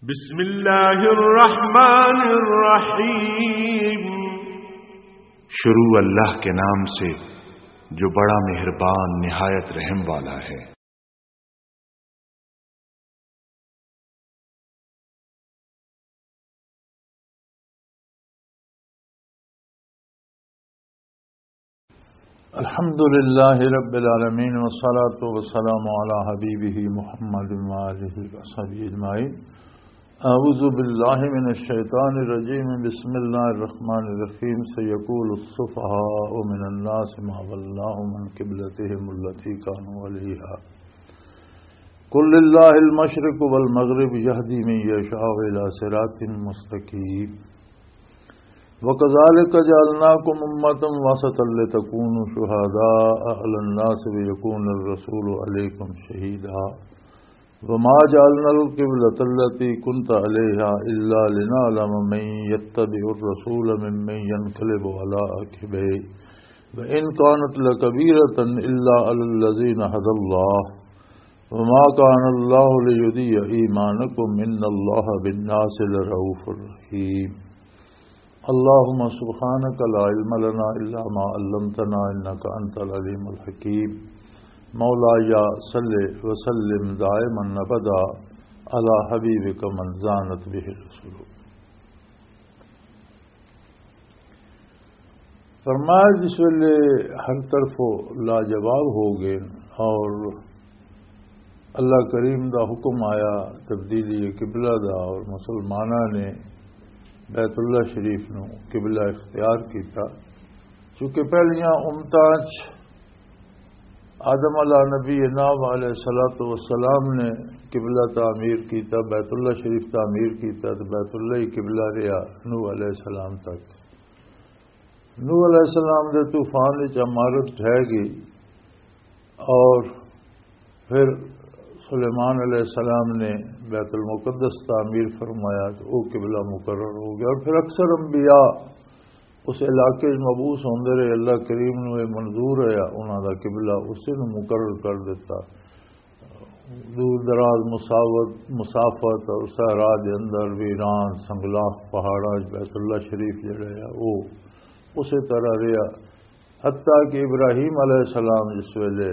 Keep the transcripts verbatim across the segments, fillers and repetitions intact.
بسم اللہ الرحمن الرحیم۔ شروع اللہ کے نام سے جو بڑا مہربان نہایت رحم والا ہے۔ الحمد لله رب العالمين، والصلاة والسلام على حبيبه محمد وآله وصحبه أجمعين. أعوذ بالله من الشيطان الرجيم. بسم الله الرحمن الرحيم. سيقول السفهاء من الناس ما ولاهم عن قبلتهم التي كانوا عليها. قل لله المشرق والمغرب يهدي من يشاء إلى صراط مستقيم. وكذلك جعلناكم أمة وسطا لتكونوا شهداء على الناس ويكون الرسول عليكم شهيدا. وما جعلنا القبلة التي كنت عليها إلا لنعلم من يتبع الرسول ممن ينقلب على عقبيه وإن كانت لكبيرة إلا على الذين هدى الله وما كان الله ليضيع إيمانكم إن الله بالناس لرؤوف رحيم. اللهم سبحانك لا علم لنا إلا ما علمتنا إنك أنت العليم الحكيم. مولاي صل وسلم دائما أبدا على حبيبك من زانت به الرسل. فرمایا، جس ویلے ہر طرف لاجواب ہو گئے اور اللہ کریم دا حکم آیا تبدیلی قبلہ دا، اور مسلماناں نے بیت اللہ شریف نو قبلہ اختیار کیتا، چونکہ پہلیاں امتاں چ آدم علیہ نبی نام علیہ الصلوۃ والسلام نے قبلہ تعمیر کیتا، بیت اللہ شریف تعمیر کیتا، تو بیت اللہ ہی قبلہ رہیا نوح علیہ السلام تک۔ نوح علیہ السلام دے طوفان وچ عمارت ڈھہ گئی اور پھر سلیمان علیہ السلام نے بیت المقدس تعمیر فرمایا، تو وہ قبلہ مقرر ہو گیا۔ اور پھر اکثر انبیاء اس علاقے وچ مبعوث ہوندے رہے، اللہ کریم نو یہ منظور ہے، انہاں دا قبلہ اسے نو مقرر کر دیتا۔ دور دراز مسافت، مسافت اور صحرا دے اندر ویران سنگلاخ پہاڑاں وچ بیت اللہ شریف جڑا ہے، وہ اسی طرح رہیا۔ حتیٰ کہ ابراہیم علیہ السلام جس ویلے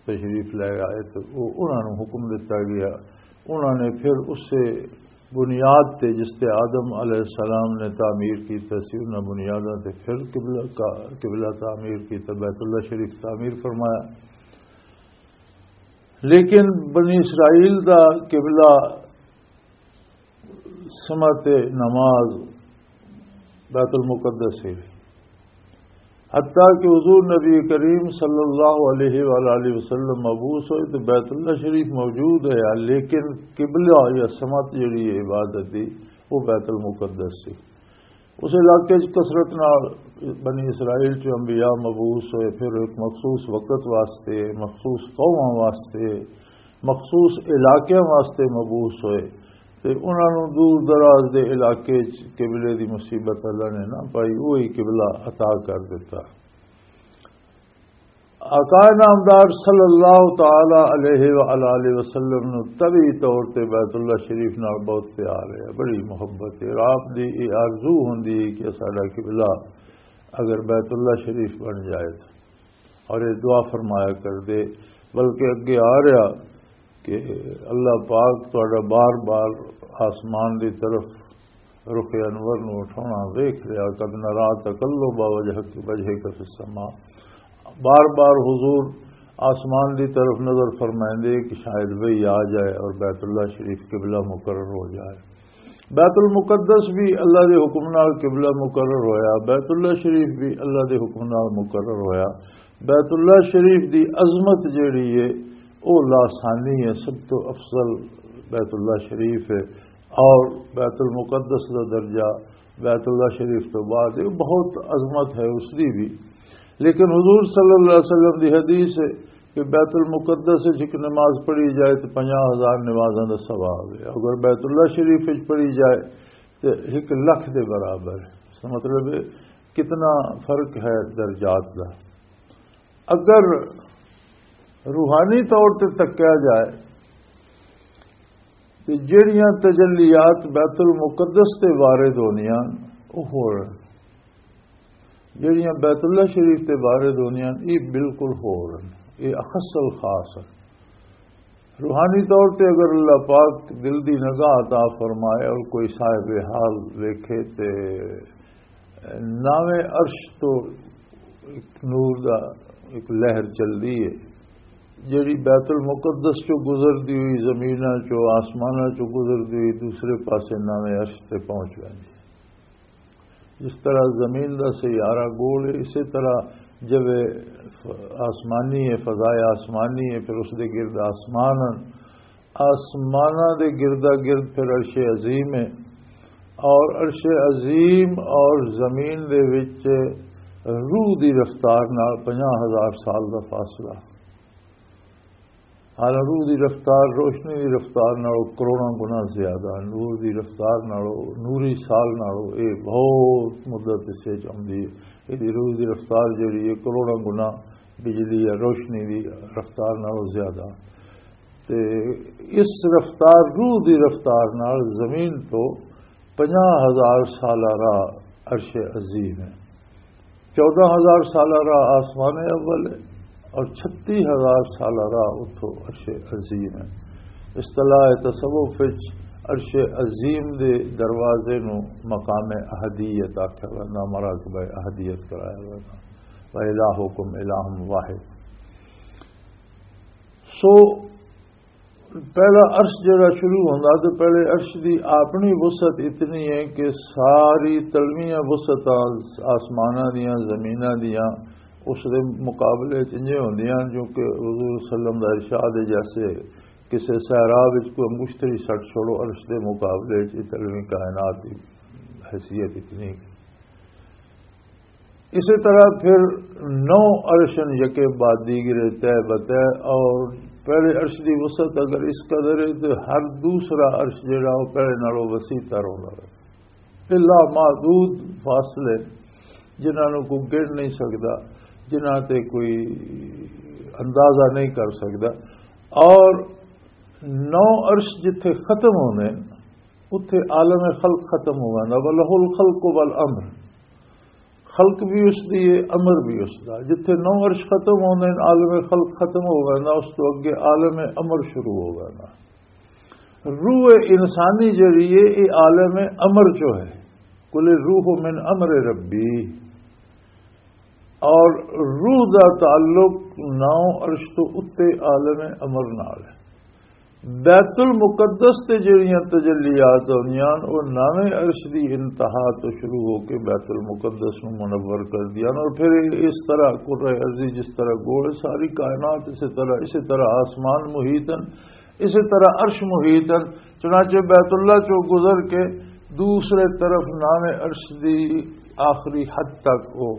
تشریف لے آئے تو وہ انہاں نوں حکم دتا گیا۔ انہاں نے پھر اسے بنیاد تے جس تے آدم علیہ السلام نے تعمیر کیتا سی، انہاں بنیاداں تے پھر قبلہ کا، قبلہ تعمیر کیتا، بیت اللہ شریف تعمیر فرمایا۔ لیکن بنی اسرائیل دا قبلہ سمت نماز بیت المقدس ہے۔ حتیٰ کہ حضور نبی کریم صلی اللہ علیہ وآلہ وسلم مبعوث ہوئے تو بیت اللہ شریف موجود ہے، لیکن قبلہ یا سمت جڑی ہے عبادت دی، وہ بیت المقدس سی۔ اس علاقے 'چ کثرت نال بنی اسرائیل 'چ انبیاء مبعوث ہوئے، پھر ایک مخصوص وقت واسطے، مخصوص قوماں واسطے، مخصوص علاقیاں واسطے مبعوث ہوئے، تے انہاں نوں دور دراز دے علاقے 'چ قبلے دی مصیبت اللہ نے نہ پائی، وہی قبلہ عطا کر دتا۔ آقا نامدار صلی اللہ تعالی علیہ وآلہ وسلم نوں طبی طور تے بیت اللہ شریف نال بہت پیار ہے، بڑی محبت ہے، اور آپ دی یہ آرزو ہوندی ہے کہ ساڈا قبلہ اگر بیت اللہ شریف بن جائے تو، اور یہ دعا فرمایا کر دے، بلکہ اگے آ رہا کہ اللہ پاک تہاڈا بار بار آسمان دی طرف رخ انور نو اٹھاونا ویکھ رہا، قد نرا تقلب وجهك، وجهك في السماء، بار بار حضور آسمان دی طرف نظر فرمائندے کہ شاید وہی آ جائے اور بیت اللہ شریف قبلہ مقرر ہو جائے۔ بیت المقدس بھی اللہ دے حکم نال قبلہ مقرر ہویا، بیت اللہ شریف بھی اللہ دے حکم نال مقرر ہویا۔ بیت اللہ شریف دی عظمت جیڑی ہے، او لاسانی ہے، سب تو افضل بیت اللہ شریف ہے، اور بیت المقدس دا درجہ بیت اللہ شریف تو بعد ہے، بہت عظمت ہے اس دی بھی۔ لیکن حضور صلی اللہ علیہ وسلم دی حدیث ہے کہ بیت المقدس وچ ایک نماز پڑھی جائے تو پنجاہ ہزار نمازاں دا ثواب ہے، اگر بیت اللہ شریف وچ پڑھی جائے تو ایک لکھ دے برابر ہے۔ اس کا مطلب ہے کتنا فرق ہے درجات دا۔ اگر روحانی طور تے تکیا جائے تے جڑیاں تجلیات بیت المقدس تے وارد ہوندیاں، او ہور۔ جڑیاں بیت اللہ شریف تے وارد ہوندیاں، یہ بالکل ہور۔ یہ اخص الخاص ہے۔ روحانی طور تے اگر اللہ پاک دل دی نگاہ عطا فرمائے اور کوئی صاحب حال ویکھے تے ناویں عرش تو ایک نور دا ایک لہر چلدی ہے، جڑی بیت المقدس چوں گزردی ہوئی زمیناں چوں، آسماناں چوں گزردی ہوئی دوسرے پاسے ناویں عرش تے پہنچ ویندی ہے۔ جس طرح زمین دا سیارہ گول ہے، اسی طرح جو آسمانی ہے، فضائے آسمانی ہے، پھر اس دے گرد آسمان ہیں۔ آسماناں دے گردا گرد پھر عرش عظیم ہے، اور عرش عظیم اور زمین دے وچ روح دی رفتار نال پنجاہ ہزار سال دا فاصلہ۔ حالانکہ روح دی رفتار روشنی دی رفتار نالوں کروڑاں گنا زیادہ، نور دی رفتار نالوں، نوری سال نالوں اے بہت مدت اس وچ آندی ہے۔ ایدی روح دی رفتار جڑی ہے، کروڑاں گنا بجلی یا روشنی دی رفتار نالوں زیادہ۔ تے اس رفتار، روح دی رفتار نال زمین تو پنجاہ ہزار سالہ راہ عرش عظیم ہے۔ چودہ ہزار سالہ راہ آسمان اول ہے اور چھتی ہزار سالہ راہ اتھوں عرش عظیم ہے۔ اصطلاح تصوف وچ عرش عظیم دے دروازے نو مقام احدیت آکھیا ویندا، مراکب احدیت کرایا ویندا۔ وَإِلَٰهُكُمْ إِلَٰهٌ وَاحِدٌ۔ سو پہلا عرش جڑا شروع ہوندا، تو پہلے عرش دی اپنی وسعت اتنی ہے کہ ساری تلویاں وسعتاں آسماناں دیاں، زمیناں دیاں اس دے مقابلے چ انجے ہوندیاں، جو کہ حضور صلی اللہ علیہ وسلم دا ارشاد ہے، جیسے کسے صحرا وچ کوئی انگشتری سٹ چھوڑو، عرش دے مقابلے چ تلوی کائنات دی حیثیت اتنی۔ اسی طرح پھر نو عرشن یکے بعد دیگرے طے بطے، اور پہلے عرش دی وسعت اگر اس قدر ہے تو ہر دوسرا عرش جڑا وہ پہلے نالوں وسیع تر ہونا ہے۔ الا محدود فاصلے جنہاں نوں کوئی گن نہیں سکدا، جنہاں تے کوئی اندازہ نہیں کر سکدا۔ اور نو عرش جتھے ختم ہونے، اتھے عالم خلق ختم ہو ویندا، وَلَهُ الْخَلْقُ وَالْأَمْرُ۔ خلق بھی اس دی ہے، امر بھی اس دا۔ جتھے نو عرش ختم ہوندے ہیں، عالم خلق ختم ہو ویندا، اس تو اگے عالم امر شروع ہو ویندا۔ روح انسانی جڑی ہے، یہ عالم امر چو ہے۔ قُلِ الرُّوحُ مِنْ أَمْرِ رَبِّي۔ اور روح دا تعلق نو عرش تو اتے عالم امر نال ہے۔ بیت المقدس تے جڑیاں تجلیات ہوندیاں، او نویں عرش دی انتہا تو شروع ہو کے بیت المقدس نوں منور کر دیاں، اور پھر اس طرح کرہ ارضی جس طرح گول، ساری کائنات اسی طرح، اسی طرح آسمان محیط ہیں، اسی طرح عرش محیط ہیں۔ چنانچہ بیت اللہ چوں گزر کے دوسرے طرف نویں عرش دی آخری حد تک وہ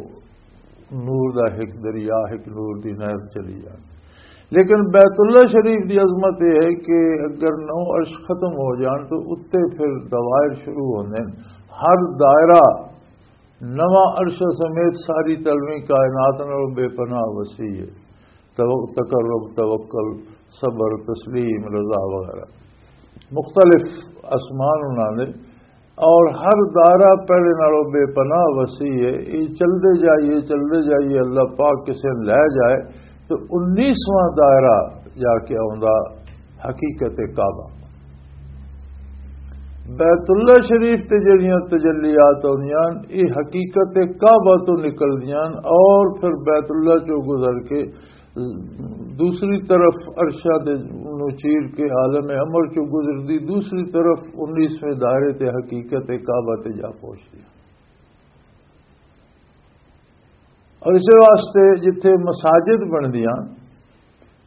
نور دا ایک دریا، ایک نور دی نہر چلی جائے۔ لیکن بیت اللہ شریف دی عظمت یہ ہے کہ اگر نو عرش ختم ہو جان تو اتے پھر دوائر شروع ہوندے ہیں۔ ہر دائرہ نواں عرش سمیت ساری تلویں کائنات نال بے پناہ وسیع ہے۔ تو-، تقرب، توکل، صبر، تسلیم، رضا وغیرہ مختلف آسمان انہاں دے، اور ہر دائرہ پہلے نالوں بے پناہ وسیع ہے۔ یہ چلدے جائیے، چلدے جائیے، اللہ پاک کسے نوں لے جائے تو انیسواں دائرہ جا کے آوندا حقیقت کعبہ۔ بیت اللہ شریف تے جڑیاں تجلیات آندیاں، یہ حقیقت کعبہ تو نکلدیاں اور پھر بیت اللہ چوں گزر کے دوسری طرف عرشاں دے نوں چیر کے عالم امر چوں گزردی، دوسری طرف انیسویں دائرے تے حقیقت کعبہ تے جا پہنچدی۔ اور اس واسطے جتھے مساجد بندیاں،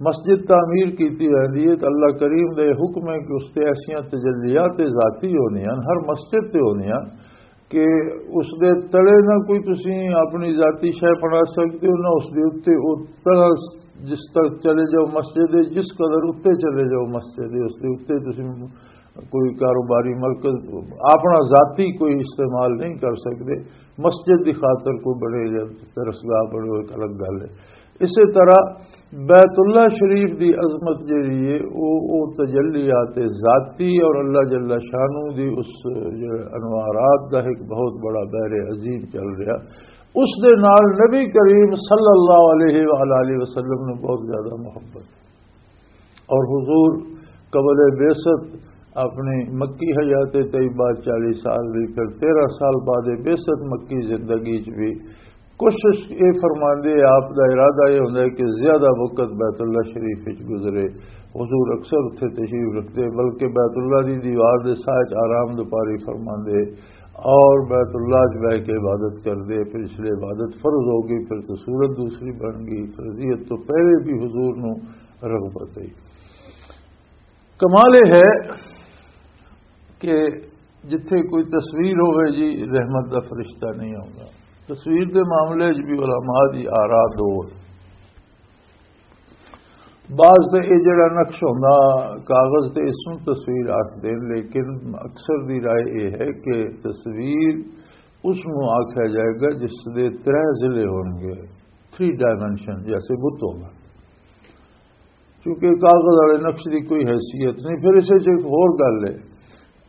مسجد تعمیر کیتی ویندی ہے، تو اللہ کریم دا یہ حکم ہے کہ اس تے ایسیاں تجلیات ذاتی ہوندیاں، ہر مسجد تے ہوندیاں، کہ اس دے تلے نہ کوئی تسی اپنی ذاتی شے بنا سکتے ہو، نہ اس دے اُتے او تلا جس تک چلے جاؤ مسجد ہے، جس قدر اُتے چلے جاؤ مسجد ہے، اس دے اُتے تسی کوئی کاروباری مرکز اپنا ذاتی کوئی استعمال نہیں کر سکتے۔ مسجد دی خاطر کوئی بنے یا درسگاہ بنے، ایک الگ گل ہے۔ اسی طرح بیت اللہ شریف دی عظمت جڑی ہے، او او تجلیات ذاتی اور اللہ جل شانہ دی اس جڑے انوارات دا ایک بہت بڑا بحر عظیم چل رہا، اس دے نال نبی کریم صلی اللہ علیہ وآلہ وسلم نوں بہت زیادہ محبت ہے۔ اور حضور قبل بعثت اپنی مکی حیات طیبہ چالیس سال دی، پھر تیرہ سال بعد بعثت مکی زندگی چ بھی کوشش یہ فرماندے، آپ دا ارادہ یہ ہوندا ہے کہ زیادہ وقت بیت اللہ شریف وچ گزرے۔ حضور اکثر اتھے تشریف رکھتے، بلکہ بیت اللہ دی دیوار دے سائے چ آرام دوپاری فرماندے اور بیت اللہ چ بہ کے عبادت کردے۔ پھر اس لیے عبادت فرض ہو گئی، پھر تو صورت دوسری بن گئی۔ فرضیت تو پہلے بھی حضور نو رغبت ہے۔ کمال یہ ہے کہ جتھے کوئی تصویر ہوئے جی، رحمت دا فرشتہ نہیں آوندا۔ تصویر دے معاملے وچ بھی علماء دی آراء دو ہے۔ بعض تے یہ جڑا نقش ہوندا کاغذ تے، اس نوں تصویر آکھدے نے، لیکن اکثر دی رائے یہ ہے کہ تصویر اس نوں آکھیا جائے گا جس دے ترے ضلع ہون گے، تھری ڈائمنشن، جیسے بت ہوگا۔ کیونکہ کاغذ والے نقش دی کوئی حیثیت نہیں۔ پھر اسے چ ایک ہور گل ہے،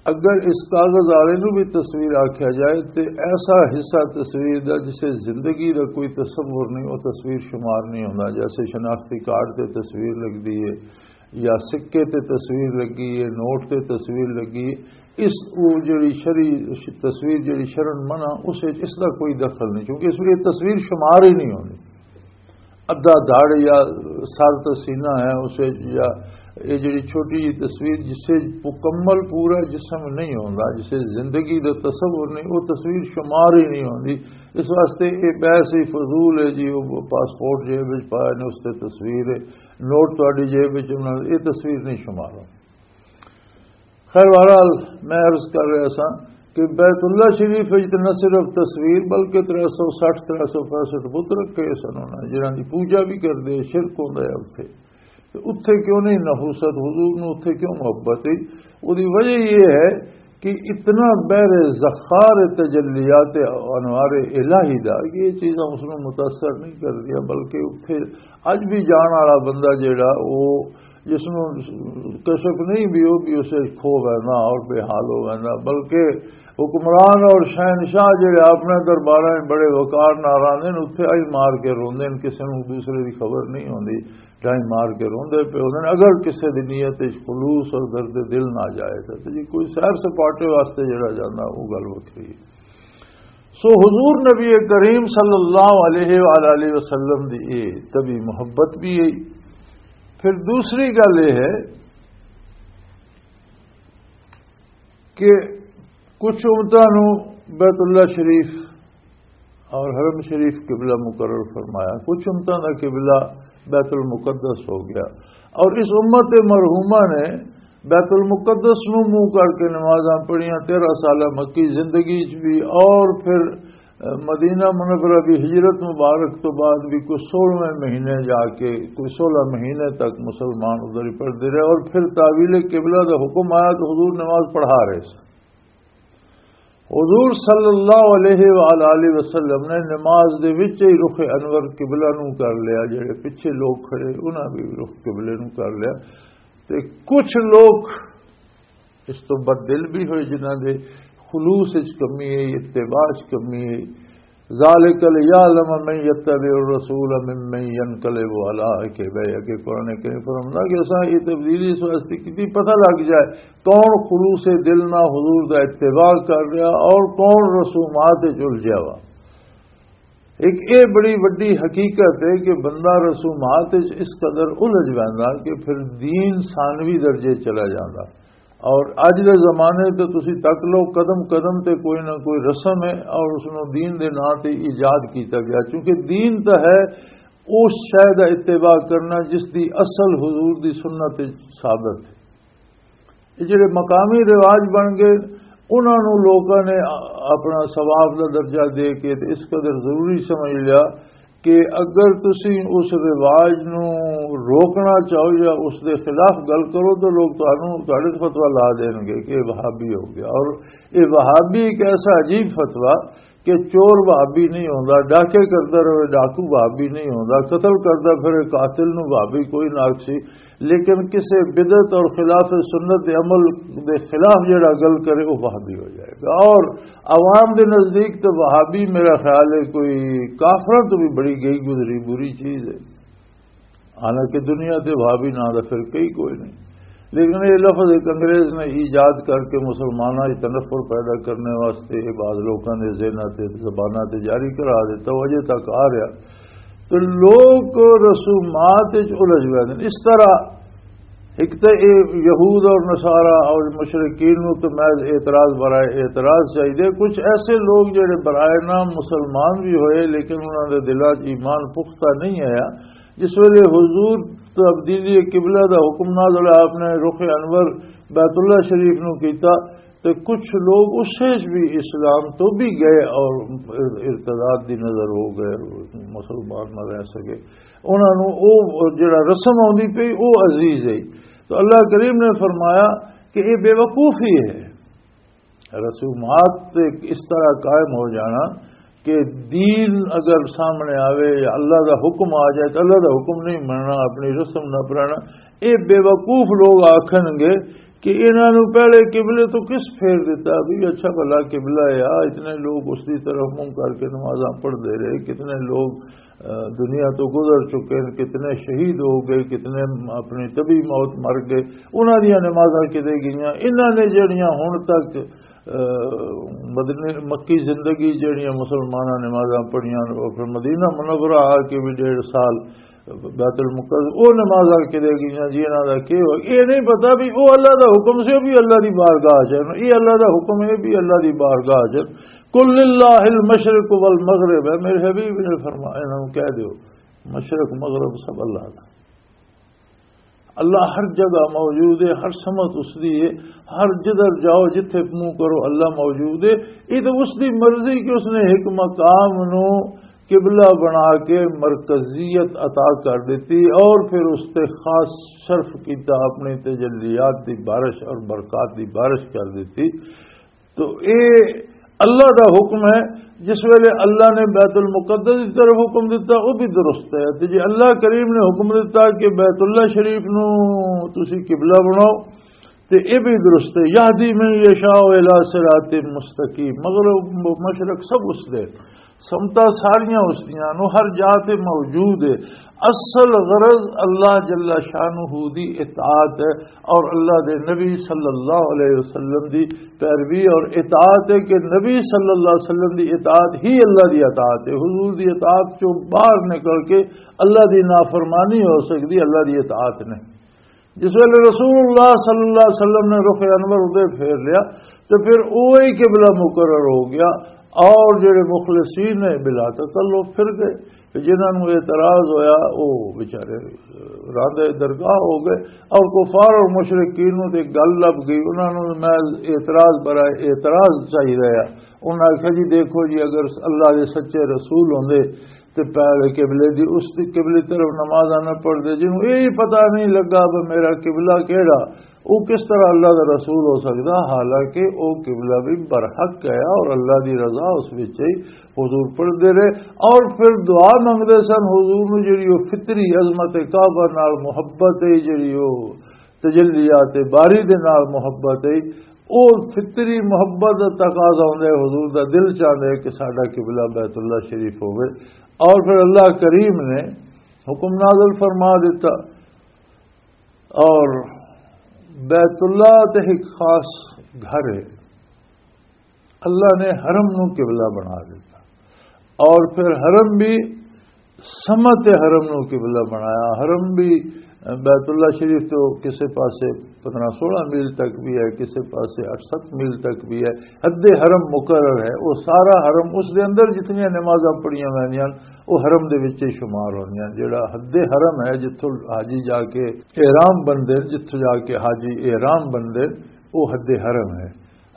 اگر اس کاغذ والے نو بھی تصویر آکھیا جائے تے ایسا حصہ تصویر دا جسے زندگی دا کوئی تصور نہیں، وہ تصویر شمار نہیں ہوندا۔ جیسے شناختی کارڈ تے تصویر لگدی ہے یا سکے تے تصویر لگی ہے، نوٹ تے تصویر لگی ہے، اس وہ جڑی شری تصویر جڑی شرن منع، اس وچ اس دا کوئی دخل نہیں، کیونکہ اس وچ یہ تصویر شمار ہی نہیں ہونی۔ ادھا دھڑ یا سر تے سینہ ہے اس وچ، یا یہ جڑی چھوٹی جی تصویر جسے مکمل پورا جسم نہیں ہوندا، جسے زندگی دا تصور نہیں، وہ تصویر شمار ہی نہیں ہوندی۔ اس واسطے یہ بحث ہی فضول ہے جی، وہ پاسپورٹ جیب وچ پایا نے، اس تے تصویر ہے، نوٹ تہاڈی جیب وچ، انہاں نے یہ تصویر نہیں شمار ہونی۔ خیر، بہرحال، میں عرض کر رہا سا کہ بیت اللہ شریف وچ نہ صرف تصویر، بلکہ ترے سو سٹھ، ترے سو پینسٹھ بت رکھے سن انہاں نے، جنہاں دی پوجا بھی کردے، شرک ہوندا ہے اتھے۔ تے اتھے کیوں نہیں نحوست؟ حضور نوں اتھے کیوں محبت ہے؟ وہ دی وجہ یہ ہے کہ اتنا بحر زخار تجلیات انوار الہی دا کہ یہ چیزاں اس نوں متاثر نہیں کردیاں، بلکہ اتھے اج بھی جان والا بندہ جیڑا، وہ جس نوں کشف نہیں بھی، وہ بھی اسے کھو ویندا اور بے حال ہو ویندا، بلکہ حکمران اور شہنشاہ جڑے اپنے درباراں وچ بڑے وقار نال آندے نے، اتھے آئی مار کے روندے نے، کسے نوں دوسرے دی خبر نہیں ہوندی، ڈائی مار کے روندے پے ہوندے نے۔ اگر کسے دی نیت وچ خلوص اور درد دل نہ جائے تاں، تے جی کوئی سیر سپاٹے واسطے جڑا جاندا، وہ گل وکھری ہے۔ سو حضور نبی کریم صلی اللہ علیہ وآلہ وسلم دی اے طبی محبت بھی ہے۔ پھر دوسری گل یہ ہے کہ کچھ امتاں نوں بیت اللہ شریف اور حرم شریف قبلہ مقرر فرمایا، کچھ امتاں دا قبلہ بیت المقدس ہو گیا، اور اس امت مرحومہ نے بیت المقدس نوں منہ کر کے نمازاں پڑھیاں، تیرہ سالہ مکی زندگی چ بھی، اور پھر مدینہ منورہ بھی ہجرت مبارک تو بعد بھی کوئی سولہویں مہینے جا کے، کوئی سولہ مہینے تک مسلمان ادھر ہی پڑھتے رہے، اور پھر تحویل قبلہ دا حکم آیا تو حضور نماز پڑھا رہے سن۔ حضور صلی اللہ علیہ وآلہ وسلم نے نماز دے وچ ہی رخ انور قبلہ نو کر لیا، جڑے پیچھے لوگ کھڑے انہاں بھی رخ قبلے نو کر لیا۔ تے کچھ لوگ اس تو بددل بھی ہوئے جنہاں دے خلوص وچ کمی ہے، اتباع وچ کمی ہے۔ ذالک لیعلم من یتبع الرسول ممن ینقلب علی عقبیہ، کہ قرآن کریم فرماتا کہ اساں یہ تبدیلی اس واسطے کیتی، پتہ لگ جائے کون خلوص دل نہ حضور دا اتباع کر رہا اور کون رسومات وچ الجھیا وا۔ ایک اے بڑی وڈی حقیقت ہے کہ بندہ رسومات وچ اس قدر الجھ ویندا کہ پھر دین ثانوی درجے چلا جاندا۔ اور اج دے زمانے تے تسی تک لو، قدم قدم تے کوئی نہ کوئی رسم ہے اور اس نوں دین دے ناں تے ایجاد کیتا گیا، چونکہ دین تے ہے اس شے دا اتباع کرنا جس دی اصل حضور دی سنت وچ ثابت ہے۔ یہ جڑے مقامی رواج بن گئے، انہاں نوں لوکاں نے اپنا ثواب دا درجہ دے کے تے اس قدر ضروری سمجھ لیا کہ اگر تسی اس رواج نوں روکنا چاہو یا اس دے خلاف گل کرو تو لوگ تانوں، تہاڈے تے فتویٰ لا دین گے کہ یہ وہابی ہو گیا۔ اور یہ وہابی ایک ایسا عجیب فتویٰ کہ چور بھابی نہیں ہوندا، ڈاکے کردا رہے ڈاکو بھابی نہیں ہوندا، قتل کردا پھر قاتل نو بھابی کوئی نہ آکھسی، لیکن کسے بدعت اور خلاف سنت دے عمل دے خلاف جڑا گل کرے، وہ وہابی ہو جائے گا۔ اور عوام دے نزدیک تو وہابی، میرا خیال ہے، کوئی کافراں تو بھی بڑی گئی گزری بری چیز ہے۔ حالانکہ دنیا تے وہابی نہ دا فرقہ ہی کوئی نہیں، لیکن یہ لفظ ایک انگریز نے ایجاد کر کے مسلمانوں کی تنفر پیدا کرنے واسطے، یہ بعض لوگوں نے ذہناں تے زباناں تے جاری کرا دیتا، وہ اجے تک آ رہا۔ تو لوگ رسومات وچ الجھ گئے ہیں۔ اس طرح ایک تو یہ یہود اور نصارہ اور مشرکین نو تو محض اعتراض برائے اعتراض چاہیے۔ کچھ ایسے لوگ جڑے برائے نام مسلمان بھی ہوئے، لیکن انہاں دے دلاں 'چ ایمان پختہ نہیں آیا، جس ویلے حضور تبدیلی قبلہ دا حکم نازل ہویا، آپ نے رخ انور بیت اللہ شریف نو کیتا، تے کچھ لوگ اس سے بھی اسلام تو بھی گئے اور ارتداد دی نظر ہو گئے، مسلمان نہ رہ سکے۔ انہاں نو او جڑا رسم آندی پئی، او عزیز ہے۔ تو اللہ کریم نے فرمایا کہ یہ بے وقوفی ہے۔ رسومات تے اس طرح قائم ہو جانا کہ دین اگر سامنے آوے یا اللہ دا حکم آ جائے تو اللہ دا حکم نہیں مننا، اپنی رسم نہ پرانا۔ یہ بے وقوف لوگ آکھن گے کہ انہاں نو پہلے قبلے تو کس پھیر دیتا؟ بھی اچھا بھلا قبلہ ہے، آ اتنے لوگ اس دی طرف منہ کر کے نمازاں پڑھ دے رہے، کتنے لوگ، آ، دنیا تو گزر چکے ہیں، کتنے شہید ہو گئے، کتنے اپنی طبی موت مر گئے، انہاں دیاں نمازاں کدے گئیاں؟ انہاں نے جڑیاں ہن تک، آ، مدنی، مکی زندگی جڑیاں مسلماناں نمازاں پڑھیاں، اور پھر مدینہ منورہ آ کے بھی ڈیڑھ سال بیت المقدس، او نمازاں کدے گئیاں جی، انہاں دا کی ہو؟ یہ نہیں پتا بھی او اللہ دا حکم سے، او بھی اللہ دی بارگاہ چ ہے، یہ اللہ دا حکم ہے، بھی اللہ دی بارگاہ چ ہے۔ قل للہ المشرق والمغرب ہے، میرے حبیب نے فرمایا، انہاں نوں کہہ دیو، مشرق مغرب سب اللہ دا۔ اللہ ہر جگہ موجود ہے، ہر سمت اس دی ہے، ہر جدھر جاؤ، جتھے منہ کرو، اللہ موجود ہے۔ یہ تو اس دی مرضی کہ اس نے ایک مقام نو قبلہ بنا کے مرکزیت عطا کر دیتی اور پھر اس تے خاص شرف کیتا، اپنی تجلیات دی بارش اور برکات دی بارش کر دیتی۔ تو اے اللہ دا حکم ہے۔ جس ویلے اللہ نے بیت المقدس کی طرف حکم دیتا، وہ بھی درست ہے۔ تے جی اللہ کریم نے حکم دیتا کہ بیت اللہ شریف نو تسی قبلہ بناؤ، تے یہ بھی درست ہے۔ یہدی من یشاء الی صراط مستقیم، مغرب مشرق سب اس دے، سمتاں ساریاں اس دیاں نو، ہر جا تے موجود ہے۔ اصل غرض اللہ جل شانہ دی اطاعت ہے اور اللہ دے نبی صلی اللہ علیہ وسلم دی پیروی اور اطاعت ہے، کہ نبی صلی اللہ علیہ وسلم دی اطاعت ہی اللہ دی اطاعت ہے۔ حضور دی اطاعت چوں باہر نکل کے اللہ دی نافرمانی ہو سکدی، اللہ دی اطاعت نہیں۔ جس ویلے رسول اللہ صلی اللہ علیہ وسلم نے رخ انور ادھر پھیر لیا، تو پھر وہی قبلہ مقرر ہو گیا، اور جڑے مخلصین نے بلا تکلف پھر گئے، کہ جنہاں نوں اعتراض ہویا، وہ بیچارے راندے درگاہ ہو گئے، اور کفار اور مشرکین نوں تے گل لب گئی، انہاں نوں میں اعتراض برائے اعتراض چاہیے۔ انہاں آکھیا، جی دیکھو جی، اگر اللہ دے سچے رسول ہوندے تے پہلے قبلے دی، اس دی قبلے طرف نمازاں نہ پڑھدے، جنوں یہ پتہ نہیں لگا بھی میرا قبلہ کیڑا، وہ کس طرح اللہ دا رسول ہو سکدا؟ حالانکہ وہ قبلہ بھی برحق ہے اور اللہ دی رضا اس وچ ہی۔ حضور پڑھدے رہے اور پھر دعا منگدے سن۔ حضور نوں جڑی وہ فطری عظمت کعبہ نال محبت ہے، جڑی وہ تجلیات باری دے نال محبت ہے، او فطری محبت دا تقاضا ہوندا ہے، حضور دا دل چاہندا ہے کہ ساڈا قبلہ بیت اللہ شریف ہوے۔ اور پھر اللہ کریم نے حکم نازل فرما دیتا، اور بیت اللہ تے ایک خاص گھر ہے، اللہ نے حرم نو قبلہ بنا دیتا، اور پھر حرم بھی سمت حرم نو قبلہ بنایا۔ حرم بھی بیت اللہ شریف تو کسے پاسے پندرہ سولہ میل تک بھی ہے، کسے پاسے اٹھ ست میل تک بھی ہے۔ حد حرم مقرر ہے، وہ سارا حرم، اس دے اندر جتنی نمازاں پڑھیاں ویندیاں، وہ حرم دے وچ ہی شمار ہوندیاں۔ جڑا حد حرم ہے، جتھوں حاجی جا کے احرام بندے، جتھوں جا کے حاجی احرام بندے، وہ حد حرم ہے۔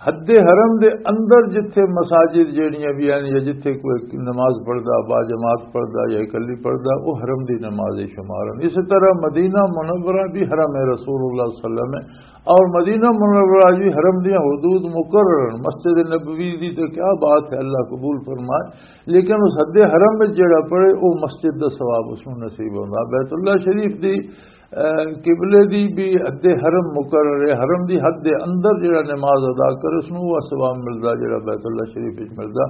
حد حرم دے اندر جتھے مساجد جیڑیاں بھی ہیں یا جتھے کوئی نماز پڑھدا، با جماعت پڑھدا یا اکلی پڑھدا، وہ حرم دی نماز ہی شمار ہیں۔ اسی طرح مدینہ منورہ بھی حرم رسول اللہ صلی اللہ علیہ وسلم ہے، اور مدینہ منورہ بھی حرم دی حدود مقرر ہیں۔ مسجد نبوی دی تو کیا بات ہے، اللہ قبول فرمائے، لیکن اس حد حرم میں جڑا پڑے، وہ مسجد دا ثواب اس نوں نصیب ہوندا۔ بیت اللہ شریف دی، اے، قبلے دی بھی حد حرم مقرر ہے، حرم دی حد دے اندر جڑا نماز ادا کرے، اس نوں وہ ثواب ملدا جڑا بیت اللہ شریف وچ ملدا۔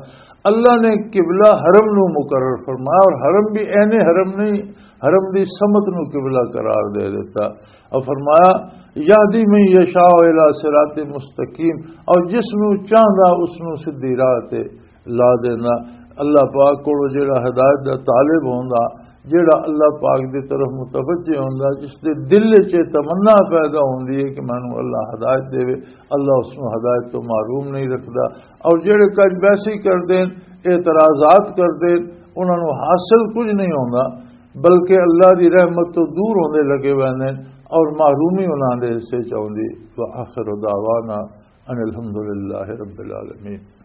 اللہ نے قبلہ حرم نوں مقرر فرمایا، اور حرم بھی اینے حرم نہیں، حرم دی سمت نوں قبلہ قرار دے دیتا۔ اور فرمایا، "یہدی من یشاء الی صراط مستقیم"، اور جس نوں چاہندا اس نوں سدھی راہ تے لا دینا۔ اللہ پاک کولوں جڑا ہدایت دا طالب ہوندا، جڑا اللہ پاک دی طرف متوجہ ہوندا، جس دے دل وچ یہ تمنا پیدا ہوندی ہے کہ مینوں اللہ ہدایت دے، اللہ اس نوں ہدایت تو محروم نہیں رکھدا۔ اور جڑے کج ویسے ہی کردے، اعتراضات کردے، انہاں نوں حاصل کچھ نہیں ہوندا، بلکہ اللہ دی رحمت تو دور ہوندے لگے ویندے اور محرومی انہاں دے حصے چ آوندی۔ وآخر دعوانا ان الحمدللہ رب العالمین۔